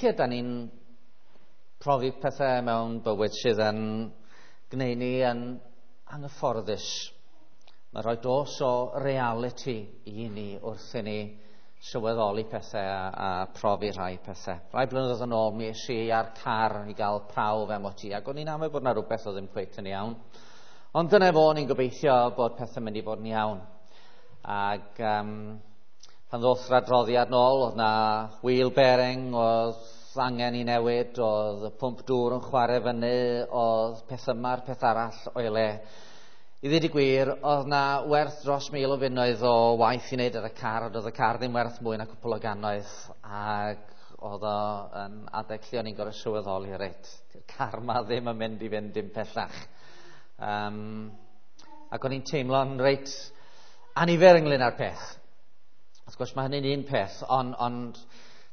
Weithiau da ni'n profi pethau mewn bywyd sydd yn gwneud ni yn anghyfforddus. Mae rhoi dos o reality i ni wrth i ni sylweddoli pethau a profi rhai pethau. Rhai blynyddoedd yn ôl, mi es i ar car i gael prawf MOT, ac o'n i'n amau bod yna rhywbeth oedd ddim cweit yn iawn. Ond dyna fo, o'n i'n gobeithio bod pethau'n mynd i fod yn iawn. Ac pan ddoth yr adroddiad nôl, oedd na wheel bearing, oedd angen i newid, oedd y pwmp dŵr yn chwarae fyny, oedd peth yma'r peth arall o'i le. I ddweud y gwir, oedd na werth dros 1,000 o bunnoedd o waith i wneud ar y car, ond oedd y car ddim werth mwy na cwpl o gannoedd, ac oedd o yn adeg lle o'n i'n gorfod sylweddoli, reit, dy'r car ma ddim yn mynd i fynd dim pellach. Ac o'n i'n teimlo'n reit anifer ynglyn â'r peth. Wrth gwrs, mae hynny'n un peth, ond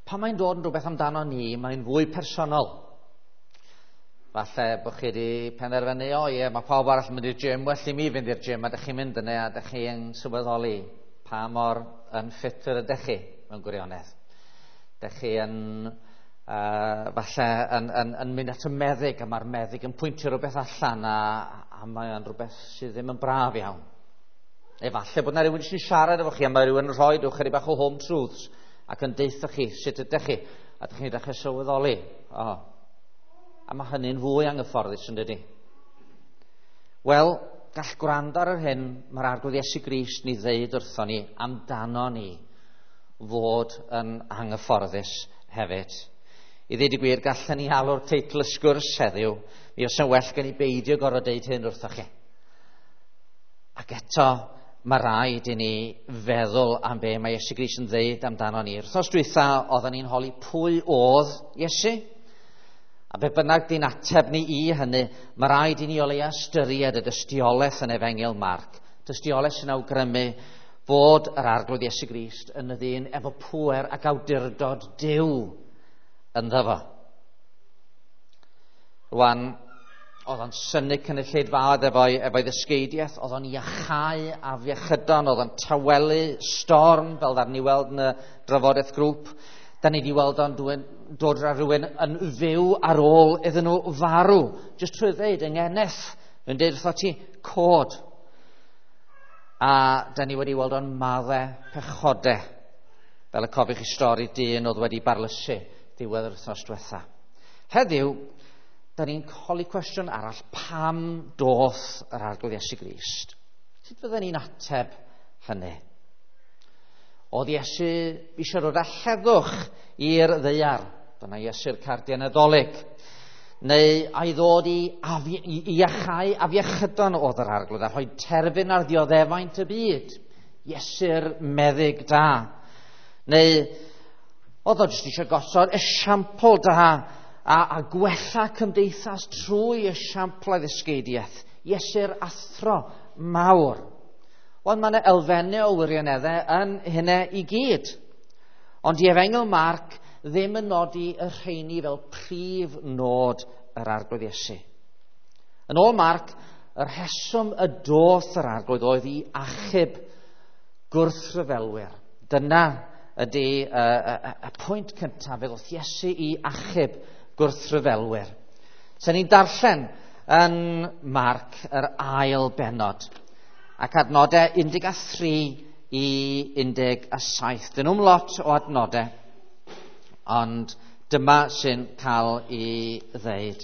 pan mae'n dod yn rhywbeth amdano ni, mae'n fwy personol. Falle bod chi wedi penderfynu, o ie, mae pawb arall yn mynd i'r gym, well i mi fynd i'r gym, a dych chi'n mynd yna, a dych chi'n sylweddoli pa mor yn ffit yr ydych chi mewn gwirionedd. Dych chi yn falle yn mynd at y meddyg, a mae'r meddyg yn pwyntio rhywbeth allan, a mae'n rhywbeth sydd ddim yn braf iawn. Efallai bod yna rhywun sy'n siarad efo chi, a mae rhywun yn rhoi chydig bach o home truths ac yn deutha chi sut ydych chi, a ydych chi'n dechrau sylweddoli. O. A mae hynny'n fwy anghyfforddus, yn dydi? Wel, gall gwrando ar yr hyn mae'r Arglwydd Iesu Grist ni ddeud wrthon ni amdano ni fod yn anghyfforddus hefyd. I ddweud y gwir, gallen ni alw'r teitl y sgwrs heddiw, mi oes yn well gen i beidio gorfod deud hyn wrthoch chi. Ac eto, mae rhaid i ni feddwl am be mae Iesu Grist yn ddeud amdano ni. Wrthnos dwytha, oedden ni'n holi pwy oedd Iesu. A be bynnag di'n ateb ni i hynny, mae rhaid i ni o leia ystyried y dystiolaeth yn Efengyl Marc. Dystiolaeth sy'n awgrymu fod yr Arglwydd Iesu Grist yn y ddyn efo pŵer ac awdurdod Duw ynddo fo. Rwan, oedd o'n synnu cynulleidfaoedd efo'i ddysgeidiaeth, oedd o'n iachau afiechydon, oedd o'n tawelu storm, fel ddaru ni weld yn y drafodaeth grŵp. Da ni wedi weld o'n dod ar rhywun yn fyw ar ôl iddyn nhw farw. Jyst trwy ddeud, yng ngeneth, yn deud wrtho ti, cod. A da ni wedi weld o'n maddau pechodau, fel y cofiwch chi stori dyn oedd wedi barlysu diwedd yr wythnos diwetha. Heddiw, da ni'n holi cwestiwn arall, pam doth yr Arglwydd Iesu Grist? Sut fydden ni'n ateb hynny? Oedd Iesu eisiau dod â heddwch i'r ddaear, dyna Iesu'r cardiau Nadolig, neu a'i ddod i iachau afiechydon oedd yr Arglwydd a rhoi terfyn ar ddioddefaint y byd, Iesu'r meddyg da, neu oedd o jyst eisiau gosod esiampl da a gwella cymdeithas trwy esiampl a ddysgeidiaeth, Iesu'r athro mawr. Wel, mae yna elfennau o wirioneddau yn hynna i gyd. Ond i Efengyl Marc ddim yn nodi y rheini fel prif nod yr Arglwydd Iesu. Yn ôl Marc, y rheswm y doth yr Arglwydd oedd i achub gwrthryfelwyr. Dyna ydy y pwynt cyntaf, fe ddoth Iesu i achub gwrthryfelwyr. So ni'n darllen yn Marc yr ail bennod ac adnodau 13 i 17. Dyn nhw'm lot o adnodau, ond dyma sy'n cael ei ddeud.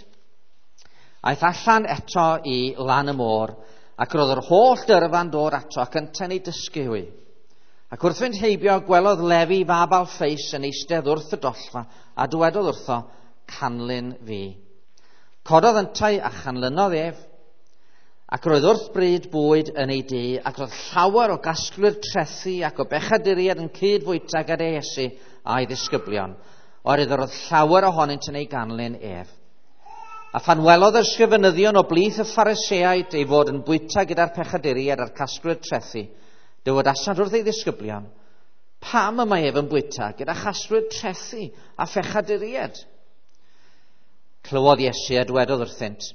Aeth allan eto i lan y môr, ac roedd yr holl dyrfa'n dod ato ac yntau'n ei dysgu hwy. Ac wrth fynd heibio, gwelodd Lefi fab Alffeus yn eistedd wrth y dollfa, a dywedodd wrtho, canlyn fi. Cododd yntau a chanlynodd ef, ac roedd wrth bryd bwyd yn ei dŷ, ac roedd llawer o gasglwyr trethi ac o bechaduriaid yn cyd-fwyta gyda Iesu a'i ddisgyblion, oherwydd roedd llawer ohonynt yn ei ganlyn ef. A phan welodd yr ysgrifenyddion o blith y Phariseaid ei fod yn bwyta gyda'r pechaduriaid a'r casglwyr trethi, dywedasant wrth ei ddisgyblion, pam y mae ef yn bwyta gyda chasglwyr trethi a phechaduriaid? Clywodd Iesu a dwedodd wrthynt,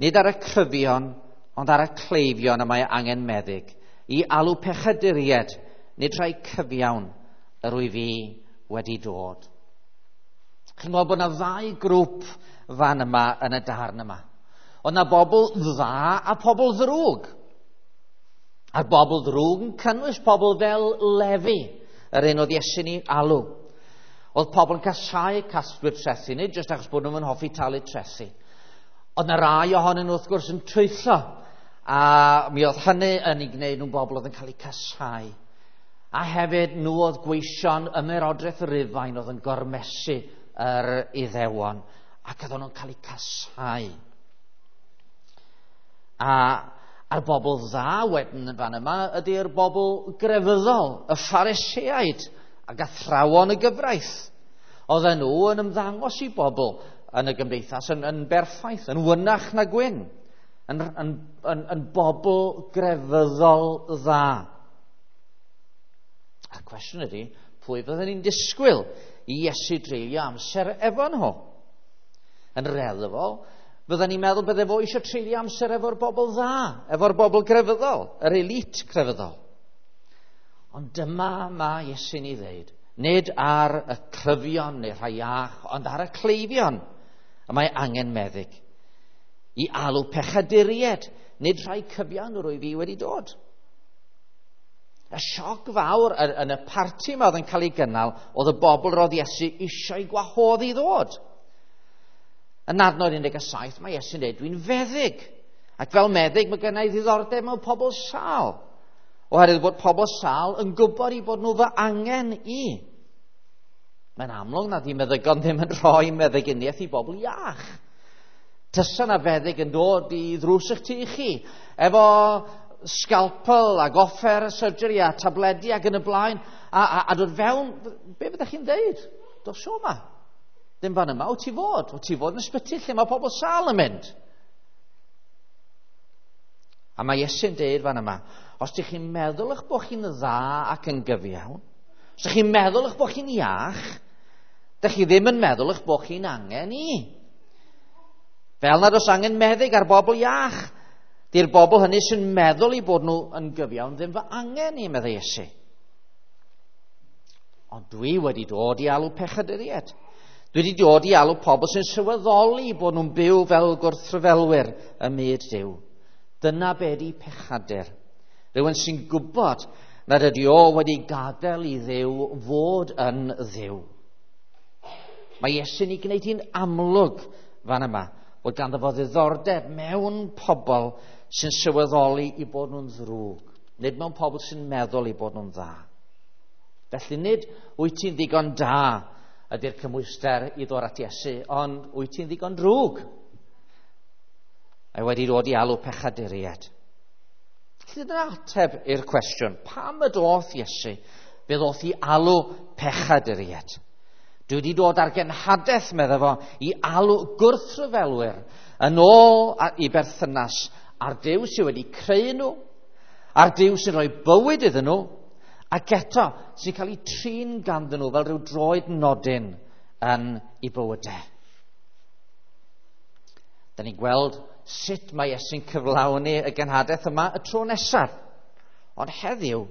nid ar y cryfion, ond ar y cleifion y mae angen meddyg, i alw pechaduriaid, nid rhai cyfiawn, yr wyf fi wedi dod. Chi'n gweld bod yna ddau grŵp fan yma yn y darn yma. Oedd yna bobl dda a pobl ddrwg. A'r bobl ddrwg yn cynnwys pobl fel Lefi, yr un oedd Iesu'n ei alw. Oedd pobl yn casáu casglwyr trethi, nid jyst achos bod nhw'n hoffi talu trethi. Oedd yna rai ohonyn nhw wrth gwrs yn twyllo, a mi oedd hynny yn ei gwneud nhw'n bobl oedd yn cael eu casáu. A hefyd nhw oedd gweision ymerodraeth Rufain oedd yn gormesu yr Iddewon, ac oedden nhw'n cael eu casáu. A'r bobl dda wedyn yn fan yma ydy'r bobl grefyddol, y Phariseaid ac athrawon y gyfraith. Oedden nhw yn ymddangos i bobl yn y gymdeithas yn berffaith, yn wynach na gwyn, yn bobl grefyddol dda. A'r cwestiwn ydy, pwy fydden ni'n disgwyl i Iesu dreulio amser efo nhw? Yn reddfol, fydden ni'n meddwl bydde fo eisiau treulio amser efo'r bobl dda, efo'r bobl grefyddol, yr elite crefyddol. Ond dyma mae Iesu'n ei ddeud, nid ar y cryfion neu rhai iach, ond ar y cleifion y mae angen meddyg. I alw pechaduriaid, nid rhai cyfiawn yr wyf fi wedi dod. Y sioc fawr yn y parti yma oedd yn cael ei gynnal oedd y bobl roedd Iesu eisiau gwahodd i ddod. Yn adnod 17 mae Iesu'n dweud, dwi'n feddyg. Ac fel meddyg mae gennau ddiddordeb mewn pobl sâl. Oherwydd bod pobl sâl yn gwybod i bod nhw fy angen i. Mae'n amlwg nad yw meddygon ddim yn rhoi meddyginiaeth i bobl iach. Tysa na feddyg yn dod i ddrws eich tŷ chi, efo scalpel ac offer surgery a tabledi ac yn y blaen, a dod fewn, be fyddech chi'n dweud? Dos o yma. Ddim fan yma, wyt ti fod? Wyt ti fod yn ysbyty lle mae pobl sâl yn mynd? A mae Iesu'n deud fan yma, os ydych chi'n meddwl eich bod chi'n dda ac yn gyfiawn, os ydych chi'n meddwl eich bod chi'n iach, ydych chi ddim yn meddwl eich bod chi'n angen i. Fel nad oes angen meddyg ar bobl iach, di'r bobl hynny sy'n meddwl i bod nhw yn gyfiawn ddim fy angen i, meddai Iesu. Ond dwi wedi dod i alw pechaduriaid. Dwi wedi dod i alw pobl sy'n sylweddoli bod nhw'n byw fel gwrthryfelwyr ym myd Duw. Dyna be di pechadur. Rhywun sy'n gwybod nad ydy o wedi gadael i Dduw fod yn Dduw. Mae Iesu'n ei gwneud hi'n amlwg fan yma bod ganddo fo ddiddordeb mewn pobl sy'n sylweddoli i bod nhw'n ddrwg, nid mewn pobl sy'n meddwl i bod nhw'n dda. Felly nid wyt ti'n ddigon da ydy'r cymhwyster i ddod at Iesu, ond wyt ti'n ddigon drwg? Mae wedi dod i alw pechaduriaid. Felly dyna ateb i'r cwestiwn, pam y doth Iesu? Fe ddoth i alw pechaduriaid. Dwi wedi dod ar genhadaeth, medda fo, i alw gwrthryfelwyr yn ôl i berthynas a'r Duw sydd wedi creu nhw, a'r Duw sy'n rhoi bywyd iddyn nhw, ac eto sy'n cael eu trin ganddyn nhw fel rhyw droed nodyn yn eu bywydau. Da ni'n gweld sut mae Iesu'n cyflawni y genhadaeth yma y tro nesaf. Ond heddiw,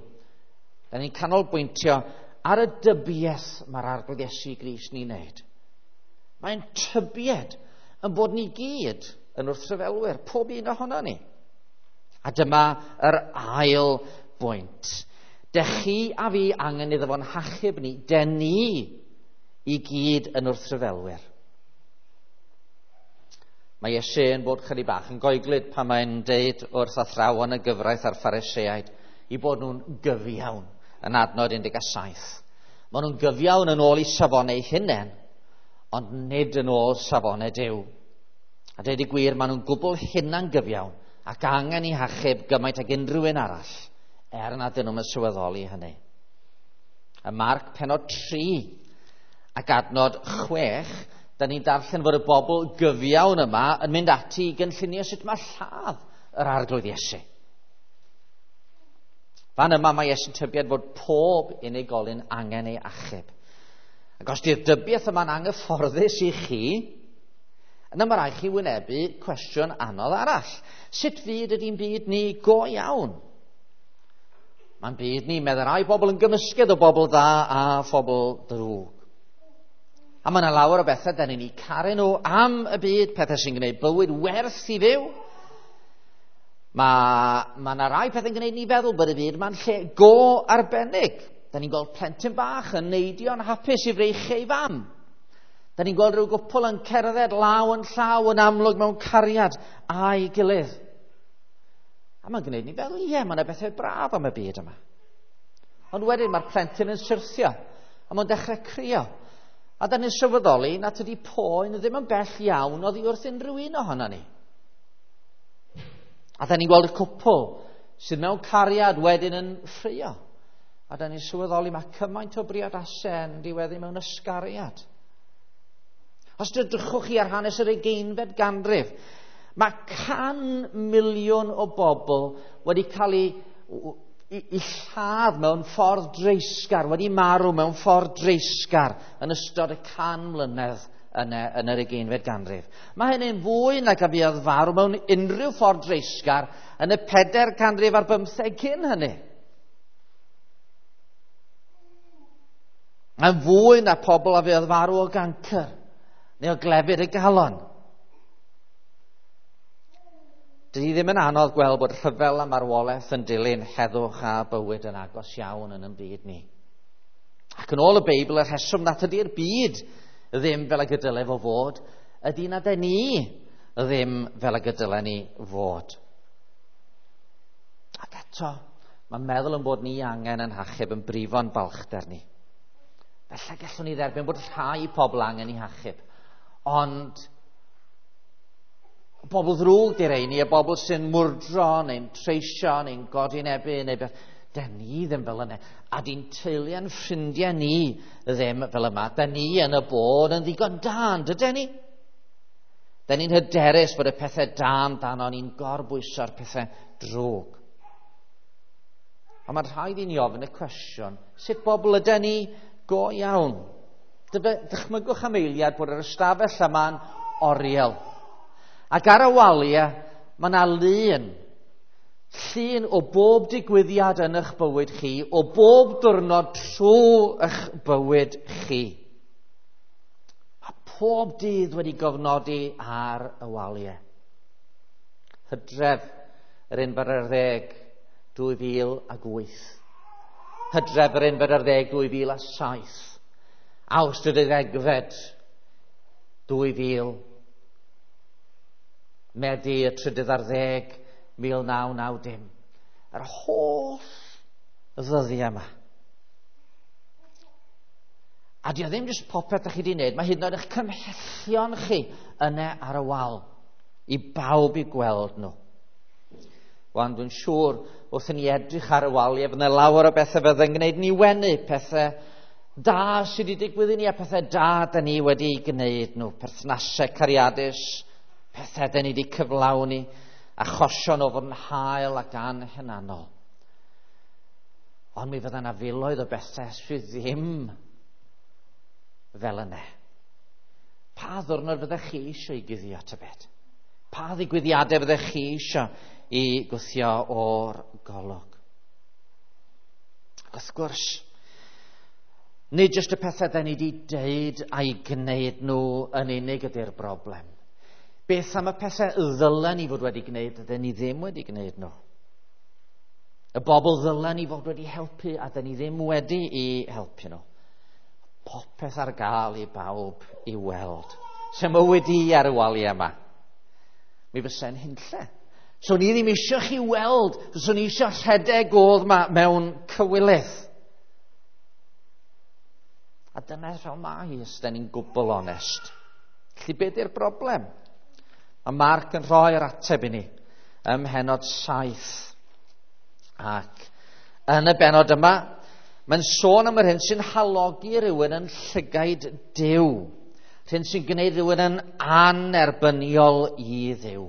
da ni'n canolbwyntio ar y dybiaeth mae'r Arglwydd Iesu Grist ni'n wneud. Mae'n tybied yn bod ni gyd yn wrthryfelwyr, pob un ohono ni. A dyma yr ail bwynt. Dech chi a fi angen iddo fo'n hachub ni, den ni i gyd yn wrthryfelwyr. Mae Iesu yn bod chydig bach yn goeglyd pan mae'n deud wrth athrawon y gyfraith a'r Phariseaid i bod nhw'n gyfiawn yn adnod 17. Maen nhw'n gyfiawn yn ôl i safonau eu hunain, ond nid yn ôl safonau Duw. A dweud y gwir, maen nhw'n gwbl hunan gyfiawn ac angen i hachub gymaint ag unrhyw un arall, er nad ydyn nhw'n sylweddoli hynny. Y Marc penod 3 ac adnod 6, da ni'n darllen fod y bobl gyfiawn yma yn mynd ati i gynllunio sut mae lladd yr Arglwydd Iesu. Fan yma mae Iesu'n tybied fod pob unigolyn angen ei achub. Ac os di'r dybiaeth yma'n anghyfforddus i chi, yna mae rhaid chi wynebu cwestiwn anodd arall. Sut fyd ydy'n byd ni go iawn? Mae'n byd ni, meddai rai bobl, yn gymysgedd o bobl dda a phobl drwg. A mae yna lawer o bethau da ni'n eu caru nhw am y byd, pethau sy'n gwneud bywyd werth i fyw. Mae yna rai pethau'n gwneud ni feddwl bod y byd ma'n lle go arbennig. Da ni'n gweld plentyn bach yn neidio'n hapus i freichiau ei fam. Da ni'n gweld rhyw gwpl yn cerdded law yn llaw yn amlwg mewn cariad a'i gilydd. A mae'n gwneud ni feddwl, ie, mae yna bethau braf am y byd yma. Ond wedyn mae'r plentyn yn syrthio, a mae'n dechrau crio. A da ni'n sylweddoli nad ydy poen ddim yn bell iawn oddi wrth unrhyw un ohono ni. A da ni'n gweld y cwpl sydd mewn cariad wedyn yn ffrio. A da ni'n sylweddoli mae cymaint o briodasau yn diweddu mewn ysgariad. Os dydrychwch chi ar hanes yr 20fed ganrif, mae 100 miliwn o bobl wedi cael eu lladd mewn ffordd dreisgar, wedi marw mewn ffordd dreisgar yn ystod y 100 mlynedd yn yr 20fed ganrif. Mae hynny'n fwy nag a fuodd farw mewn unrhyw ffordd dreisgar yn y 4 canrif ar 15 cyn hynny. Mae'n fwy na pobl a fuodd farw o gancr neu o glefyd y galon. Dydy ddim yn anodd gweld bod rhyfel a marwolaeth yn dilyn heddwch a bywyd yn agos iawn yn ein byd ni. Ac yn ôl y Beibl, y rheswm nad ydy'r byd ddim fel y dyle fo fod, ydy nad y ni ddim fel y dyle ni fod. Ac eto, mae'n meddwl yn bod ni angen yn hachub yn brifo'n balchder ni. Felly gallwn ni dderbyn bod rhai pobl angen i hachub, ond bobl ddrwg di'r rheini, y bobl sy'n mwrdro neu'n treisio neu'n godinebu neu beth. Da ni ddim fel yna. A di'n teulu a'n ffrindiau ni ddim fel yma. Da ni yn y bôn yn ddigon da, dyden ni? Da ni'n hyderus bod y pethau da amdano ni'n gorbwyso'r pethau drwg. A mae'n rhaid i ni ofyn y cwestiwn, sut bobl yden ni go iawn? Dychmygwch am eiliad bod yr ystafell yma'n oriel. Ac ar y waliau, mae yna lun. Llun o bob digwyddiad yn eich bywyd chi, o bob diwrnod trwy eich bywyd chi. Mae pob dydd wedi gofnodi ar y waliau. Hydref yr 11, 2008. Hydref yr 11, 2007. Awst y 12, 2000. Medi y 13, 1990. Yr holl ddyddiau yma. A di o ddim jyst popeth ydych chi wedi wneud, mae hyd yn oed eich cymhellion chi yna ar y wal i bawb i gweld nhw. Wan, dwi'n siŵr wrth i ni edrych ar y waliau, bydd yna lawer o bethau fydd yn gwneud ni wenu, pethau da sydd wedi digwydd i ni a pethau da da ni wedi gwneud nhw, perthnasau cariadus, pethau da ni wedi cyflawni, achosion o fod yn hael ac anhunanol. Ond mi fydda yna filoedd o bethau sydd ddim fel yna. Pa ddwrnod fyddech chi eisiau i guddio tybed? Pa ddigwyddiadau fyddech chi eisiau i gwthio o'r golwg? Ac wrth gwrs, nid jyst y pethau da ni wedi deud a'i gwneud nhw yn unig ydy'r broblem. Beth am y pethau ddylen ni fod wedi gwneud a ni ddim wedi gwneud nhw? Y bobl ddylen ni fod wedi helpu a ni ddim wedi i helpu nhw. Popeth ar gael i bawb i weld. Se mywyd i ar y waliau yma. Mi fysa'n hunlle. So ni ddim eisiau chi weld, so ni eisiau rhedeg oedd ma mewn cywilydd. A dyna fel mae hi, os da ni'n gwbl onest. Felly be di'r broblem? Mae Mark yn rhoi'r ateb i ni ym mhennod 7. Ac yn y bennod yma, mae'n sôn am yr hyn sy'n halogi rhywun yn llygaid Duw. Rhywun sy'n gwneud rhywun yn anerbyniol i Dduw.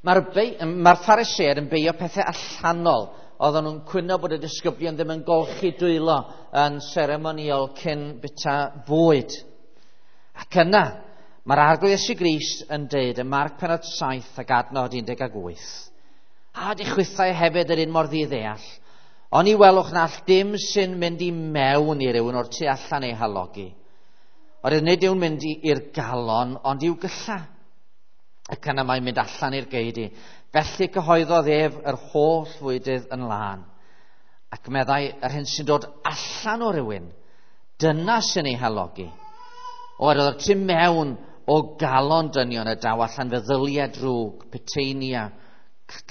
Mae'r Phariseaid yn beio pethau allanol. Oedden nhw'n cwyno bod y disgyblion ddim yn golchi dwylo yn seremoniol cyn bita bwyd. Ac yna, mae'r Arglwydd Iesu Grist yn deud ym Marc pennod 7 ac adnod 18. A di chwithau hefyd yr un mor ddiddeall, ond i welwch na all dim sy'n mynd i mewn i rywun o'r tu allan ei halogi. Oherwydd nid yw'n mynd i'r galon, ond i'w gylla. Ac yna mae'n mynd allan i'r geudy. Felly cyhoeddodd ef yr holl fwydydd yn lân. Ac meddai, yr hyn sy'n dod allan o rywun, dyna sy'n ei halogi. Oherwydd o'r tu mewn o galon dynion y daw allan feddyliau drwg, peteinia,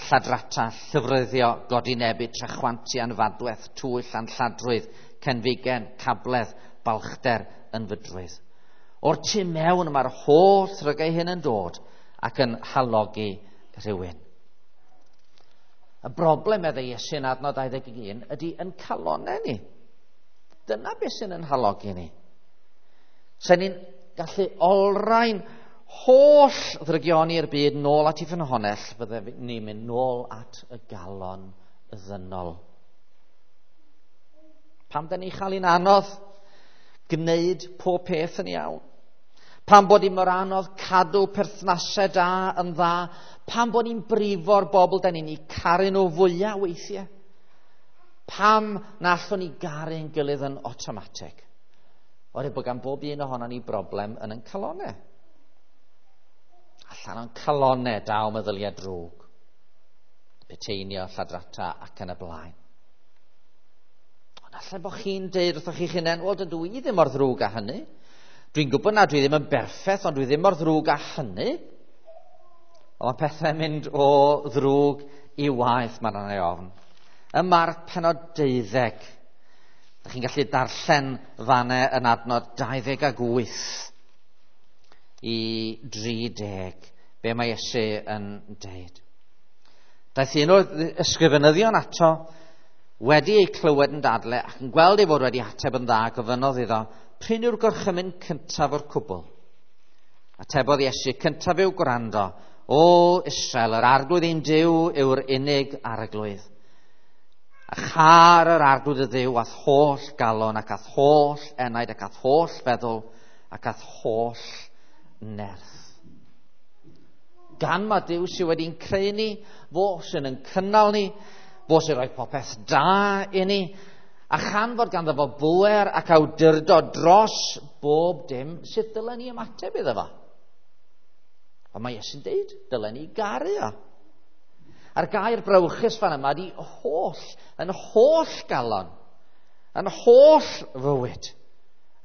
lladrata, llyfryddio, godinebu, trachwantu, anfadweth, twyll, anlladrwydd, cenfigen, cabledd, balchder, ynfydrwydd. O'r tu mewn mae'r holl ddrygau hyn yn dod ac yn halogi rhywun. Y broblem, meddai Iesu yn adnod 21, ydy yn calonau ni. Dyna beth sy'n yn halogi ni. Sen ni'n gallu olrhain holl ddrygioni'r byd nôl at ei ffynhonnell, fydde ni'n mynd nôl at y galon ddynol. Pam da ni chael hi'n anodd gwneud pob peth yn iawn? Pam bod hi'n mor anodd cadw perthnasau da yn dda? Pam bod ni'n brifo'r bobl da ni'n eu caru nhw fwyaf weithiau? Pam na allwn ni garu'n gilydd yn awtomatig? Oherwydd bod gan bob un ohono ni broblem yn ein calonau. Allan o'n calonau daw meddyliau drwg, peteinio, lladrata ac yn y blaen. Ond allai bod chi'n deud wrthoch chi'ch hunain, wel, dydw i ddim mor ddrwg â hynny. Dwi'n gwybod na dwi ddim yn berffaith, ond dwi ddim mor ddrwg â hynny. Ond mae pethau'n mynd o ddrwg i waeth, mae'n rhan ei ofn. Ym Marc pennod 12, Dych chi'n gallu darllen fanne yn adnod 28 i 30, be mae Iesu yn deud. Daeth un o'r ysgrifenyddion ato wedi ei clywed yn dadle ac yn gweld ei fod wedi ateb yn dda, gofynnodd iddo, pryn yw'r gorchymyn cyntaf o'r cwbl? Atebodd Iesu, cyntaf yw gwrando, o Israel, yr arglwydd ein Duw yw'r unig arglwydd. A char yr arglwydd y Dduw a'th holl galon ac a'th holl enaid ac a'th holl feddwl ac a'th holl nerth. Gan ma Duw sydd wedi'n creu ni, fo sy'n yn cynnal ni, fo sy'n rhoi popeth da i ni, a chan fod ganddo fo bŵer ac awdurdod dros bob dim, sut dylen ni ymateb iddo fo? Ond mae Iesu'n deud, dylen ni garu o. A'r gair brawychus fan yma ydy holl, yn holl galon, yn holl fywyd,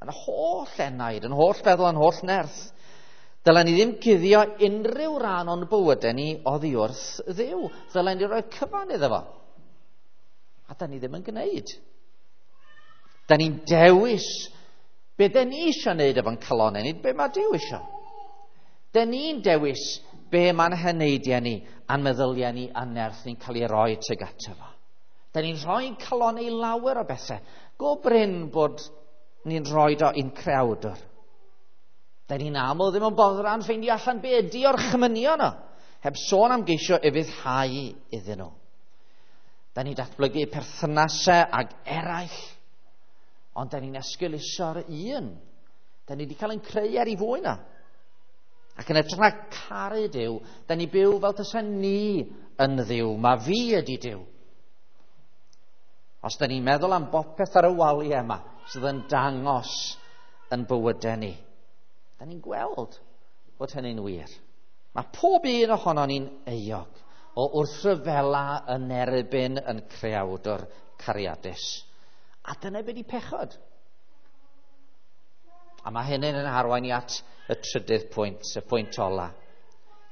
yn holl enaid, yn holl feddwl, yn holl nerth. Dylen ni ddim cuddio unrhyw ran o'n bywydau ni oddi wrth Dduw. Dylen ni roi cyfan iddo fo. A da ni ddim yn gwneud. Da ni'n dewis be da ni eisiau gwneud efo'n calonau, nid be mae Duw eisiau. Da ni'n dewis be mae'n heneidiau ni a'n meddyliau ni a'n nerth ni'n cael ei roi tuag ato fo. Da ni'n rhoi'n calonau i lawer o bethau. Go brin bod ni'n rhoi do i'n creawdwr. Da ni'n aml ddim yn boddran ffeindio allan be ydi o'r chymynion o, heb sôn am geisio ufuddhau iddyn nhw. Da ni'n datblygu perthynasau ag eraill, ond da ni'n esgeuluso'r un. Da ni wedi cael ein creu er i fwy na. Ac yn edrych na caru Duw, da ni byw fel tysa ni yn Dduw. Mae fi ydi Duw. Os da ni'n meddwl am bopeth ar y waliau yma sydd yn dangos yn bywydau ni, da ni'n gweld bod hynny'n wir. Mae pob un ohono ni'n euog o wrthryfela yn erbyn yn creawdwr cariadus. A dyna be di pechod. A mae hynny'n yn arwain i at y trydydd pwynt, y pwynt ola.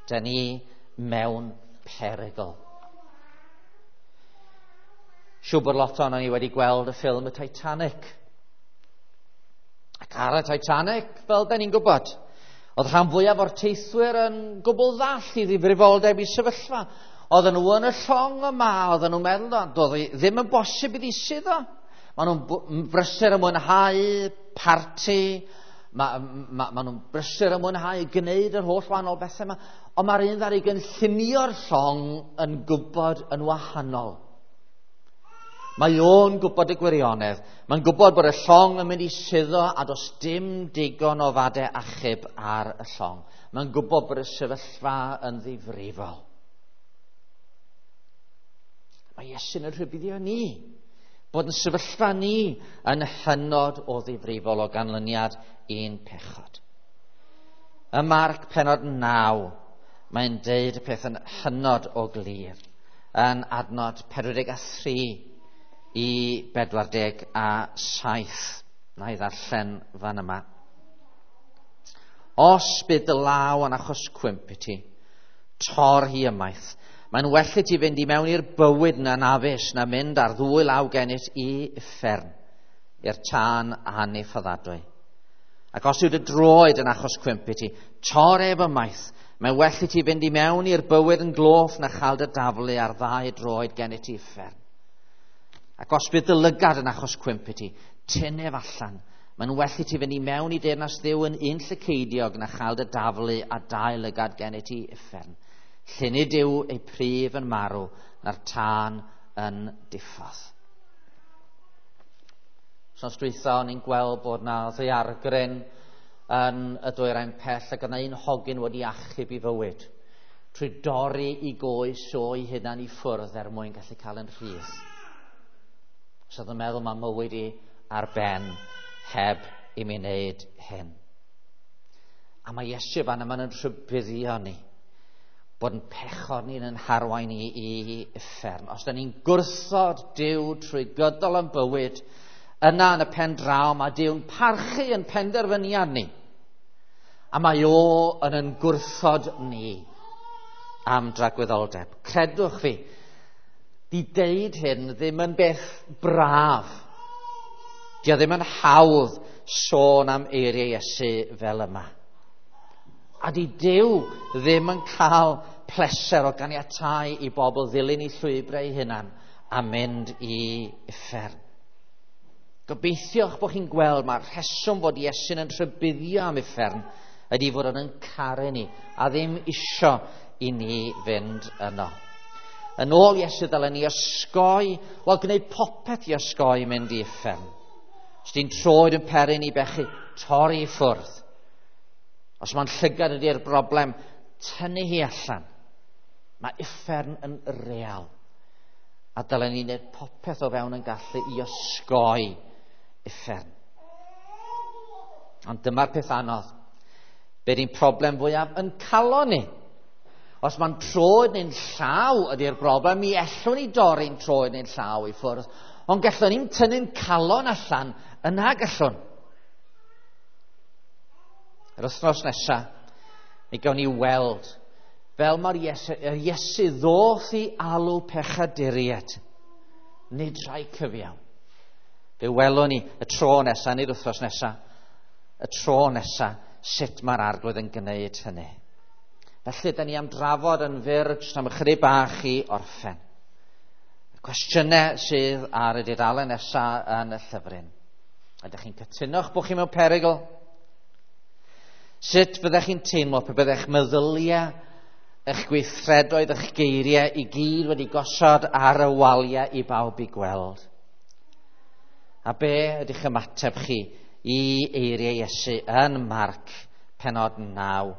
Da ni mewn perygl. Siŵr bod lot ohonon ni wedi gweld y ffilm y Titanic. Ac ar y Titanic, fel da ni'n gwybod, oedd rhan fwyaf o'r teithwyr yn gwbl ddall i ddifrifoldeb i sefyllfa. Oedden nhw yn y llong yma, oedden nhw'n meddwl, doedd hi ddim yn bosib iddi suddo. Maen nhw'n brysur yn mwynhau parti, ma nhw'n brysur yn mwynhau gwneud yr holl wahanol bethau yma, ond mae'r un ddaru gynllunio'r llong yn gwybod yn wahanol. Mae o'n gwybod y gwirionedd. Mae'n gwybod bod y llong yn mynd i suddo a does dim digon o fadau achub ar y llong. Mae'n gwybod bod y sefyllfa yn ddifrifol. Mae Iesu'n yn rhybuddio ni Bod yn sefyllfa ni yn hynod o ddifrifol o ganlyniad i'n pechod. Ym Marc penod 9, mae'n deud y peth yn hynod o glir, yn adnod 43 i 47. Na i ddarllen fan yma. Os bydd dy law yn achos cwymp i ti, tor hi ymaith. Mae'n well i ti fynd i mewn i'r bywyd na nafus na mynd ar ddwy law gennyt i uffern, i'r tân aniffyddadwy. Ac os yw dy droed yn achos cwymp i ti, tor ef ymaith. Mae'n well i ti fynd i mewn i'r bywyd yn gloff na chael dy daflu ar ddau droed gennyt i uffern. Ac os bydd dy lygad yn achos cwymp i ti, tyn ef allan. Mae'n well i ti fynd i mewn i deyrnas Dduw yn un llyceidiog na chael dy daflu a dau lygad gennyt i uffern. Lle nid yw ei pryf yn marw na'r tân yn diffodd. Wsos dwytha o'n i'n gweld bod na ddaeargryn yn y dwyrain pell ac yna un hogyn wedi achub i fywyd trwy dorri i goes o'i hunan i ffwrdd er mwyn gallu cael yn rhydd. So oedd yn meddwl mae mywyd i ar ben heb i mi wneud hyn. A mae Iesu fan yma'n yn rhybuddio ni bod yn pechod ni'n yn harwain ni i uffern. Os da ni'n gwrthod Duw trwy gydol yn bywyd, yna yn y pen draw mae Duw'n parchu yn penderfyniad ni. A mae o yn yn gwrthod ni am dragwyddoldeb. Credwch fi, di deud hyn ddim yn beth braf. Di o ddim yn hawdd sôn am eiriau Iesu fel yma. A di Duw ddim yn cael pleser o ganiatáu i bobl ddilyn i llwybrau eu hunan a mynd i uffern. Gobeithio'ch bod chi'n gweld mae'r rheswm fod Iesu'n yn rhybuddio am uffern ydy fod o'n caru ni a ddim isio i ni fynd yno. Yn ôl Iesu dylen ni osgoi, wel gwneud popeth i osgoi mynd i uffern. Os di'n troed yn peri ni bechu, torri i ffwrdd. Os mae'n llygad ydy'r broblem, tynnu hi allan. Mae uffern yn real. A dylen ni wneud popeth o fewn yn gallu i osgoi uffern. Ond dyma'r peth anodd. Be di'n problem fwyaf yn calon ni? Os mae'n troed neu'n llaw ydy'r broblem, mi ellwn ni dorri'n troed neu'n llaw i ffwrdd. Ond gallwn ni'n tynnu'n calon allan, yna gallwn. Yr wythnos nesaf, mi gawn ni weld fel mae'r Iesu, yr Iesu ddoth i alw pechaduriaid, nid rhai cyfiawn. Fe welwn ni y tro nesaf, nid wythnos nesaf, y tro nesaf, sut mae'r Arglwydd yn gwneud hynny. Felly, da ni am drafod yn fyr, jyst am ychydig bach i orffen. Y cwestiynau sydd ar y dudalen nesaf yn y llyfryn. Ydych chi'n cytuno'ch bod chi mewn perygl? Sut fyddech chi'n teimlo pe byddech meddyliau, eich gweithredoedd, eich geiriau i gyd wedi gosod ar y waliau i bawb i gweld? A be ydych ymateb chi i eiriau Iesu yn Marc penod 9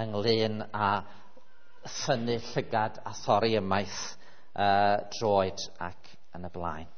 ynglyn â thynnu llygad a thorri ymaith droed ac yn y blaen?